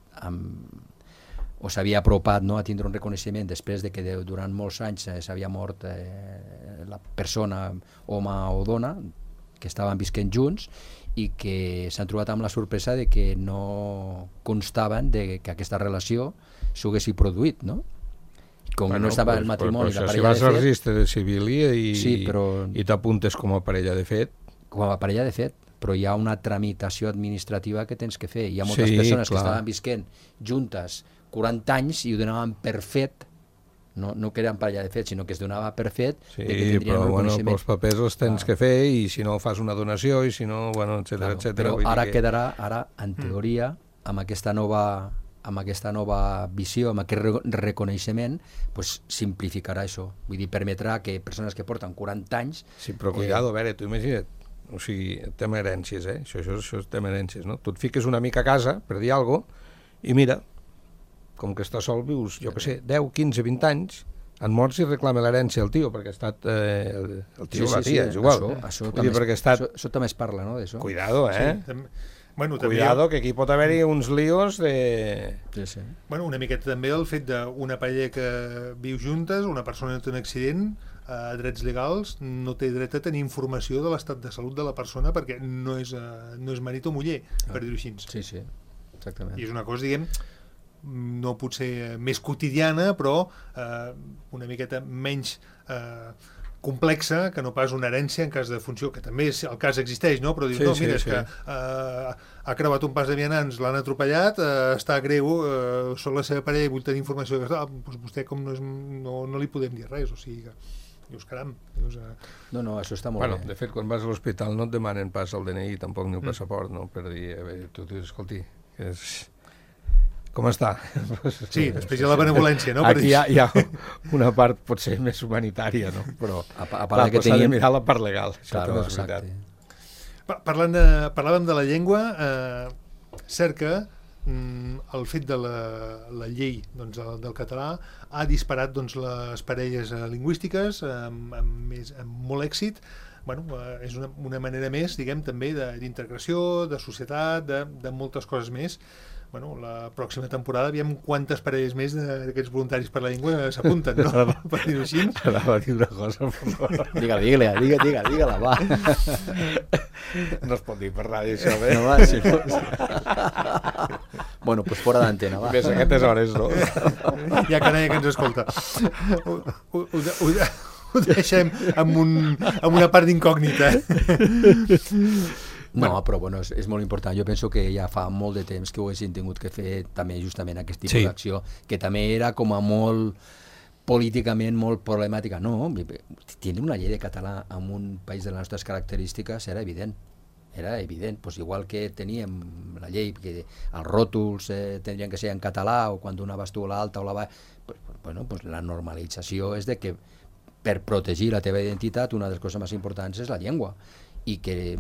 o s'havia apropat, no, a tindre un reconeixement després de que durant molts anys s'havia mort la persona, home o dona, que estaven visquent junts i que s'han trobat amb la sorpresa de que no constaven de que aquesta relació s'haguessi produït, no? Com no estava el matrimoni, la parella de fet... Si vas al registre civil i t'apuntes com a parella de fet... Com a parella de fet, però hi ha una tramitació administrativa que tens que fer. Hi ha moltes persones que estaven visquent juntes 40 anys i ho donaven per fet, no que eren parella de fet, sinó que es donava per fet que tindrien un reconeixement. Els papers els tens que fer i si no fas una donació i si no, bueno, etcètera, etcètera. Però ara quedarà, en teoria, amb aquesta nova visió, amb aquest reconeixement, pues simplificarà això. Vull dir, permetrà que persones que porten 40 anys... Sí, però cuidado, a veure, tu imagina't, o sigui, tema herències, això és tema herències, no? Tu et fiques una mica a casa, per dir alguna cosa, i mira, com que estàs sol, vius, jo què sé, 10, 15, 20 anys, han mort si reclama l'herència el tio, perquè ha estat el tio o la tia, és igual. Això també es parla, no, d'això? Cuidado, Bueno, cuidado, que aquí pot haver-hi uns líos de... Sí. Bueno, una miqueta també el fet d'una parella que viu juntes, una persona que té un accident, a drets legals, no té dret a tenir informació de l'estat de salut de la persona perquè no és marit o muller, per dir-ho així. Sí, exactament. I és una cosa, diguem, no potser més quotidiana, però una miqueta menys complexa que no pas una herència en cas de funció, que també el cas existeix, no? Però dius, és que ha creuat un pas de vianants, l'han atropellat, està greu, són la seva parella i vull tenir informació, doncs vostè com no li podem dir res, o sigui que dius, caram. No, això està molt bé. De fet, quan vas a l'hospital no et demanen pas el DNI, tampoc ni el passaport, no? Per dir, a veure, tu dius, escolti, com està? Sí, després hi ha la benevolència, no? Aquí hi ha una part potser més humanitària, no? Però a part que s'ha de mirar la part legal. Claro, exacte. Parlàvem de la llengua, cert que el fet de la llei del català ha disparat les parelles lingüístiques amb molt èxit. És una manera més, diguem, també d'integració, de societat, de moltes coses més. La pròxima temporada aviam quantes parelles més d'aquests voluntaris per la llengua s'apunten, no? Per dir-ho així. Anava a dir una cosa, per favor. Digue-la, va. No es pot dir per ràdio, això, bé? No, va, sí. Bueno, pues fora d'antena, va. Ves a aquestes hores, no? Hi ha canalla que ens escolta. Ho deixem amb una part d'incògnita. No, però bueno, és molt important. Jo penso que ja fa molt de temps que ho haguessin tingut que fer també justament aquest tipus d'acció, que també era com a molt políticament molt problemàtica. No, tindre una llei de català en un país de les nostres característiques era evident. Pues igual que teníem la llei que els ròtols tindrien que ser en català o quan donaves tu l'alta o la baixa, pues la normalització és de que per protegir la teva identitat una de les coses més importants és la llengua, i que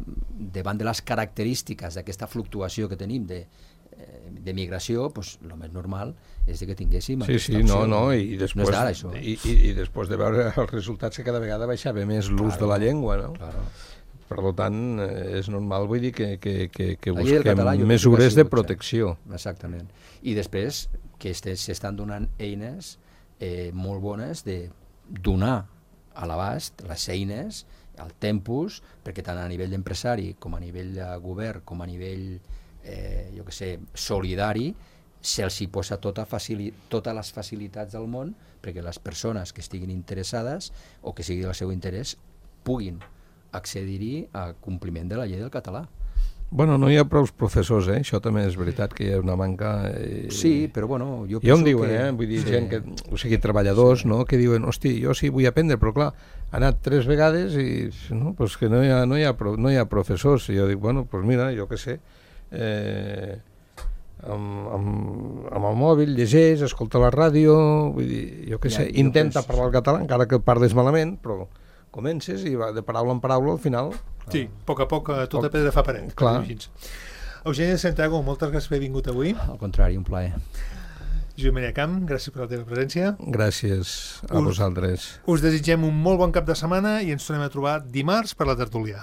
davant de les característiques d'aquesta fluctuació que tenim de migració, el més normal és que tinguéssim aquesta opció. I després, no és d'ara, això. I després de veure els resultats que cada vegada baixava més l'ús de la llengua, no? Claro. Per tant, és normal, vull dir, que busquem mesures de protecció. Exactament. I després que s'estan donant eines molt bones donar a l'abast les eines, el tempus, perquè tant a nivell d'empresari com a nivell de govern, com a nivell, solidari, se'ls hi posa totes les facilitats del món perquè les persones que estiguin interessades o que sigui del seu interès puguin accedir-hi a compliment de la llei del català. Bueno, no hi ha prou professors, això també és veritat que hi ha una manca... Sí, però bueno, jo penso ja em diuen, vull dir, gent que, o sigui, treballadors, no?, que diuen, hosti, jo sí vull aprendre, però clar, ha anat 3 vegades i no, pues que no hi ha professors. I jo dic, bueno, pues mira, jo què sé, amb el mòbil llegeix, escolta la ràdio, vull dir, jo què sé, intenta parlar el català, encara que parles malament, però comences i va de paraula en paraula al final. Sí, a poc a poc tota pedra fa paret. Clar. Eugeni de Santiago, moltes gràcies per haver vingut avui. Al contrari, un plaer. Josep Maria Camp, gràcies per la teva presència. Gràcies a vosaltres. Us desitgem un molt bon cap de setmana i ens tornem a trobar dimarts per la tertúlia.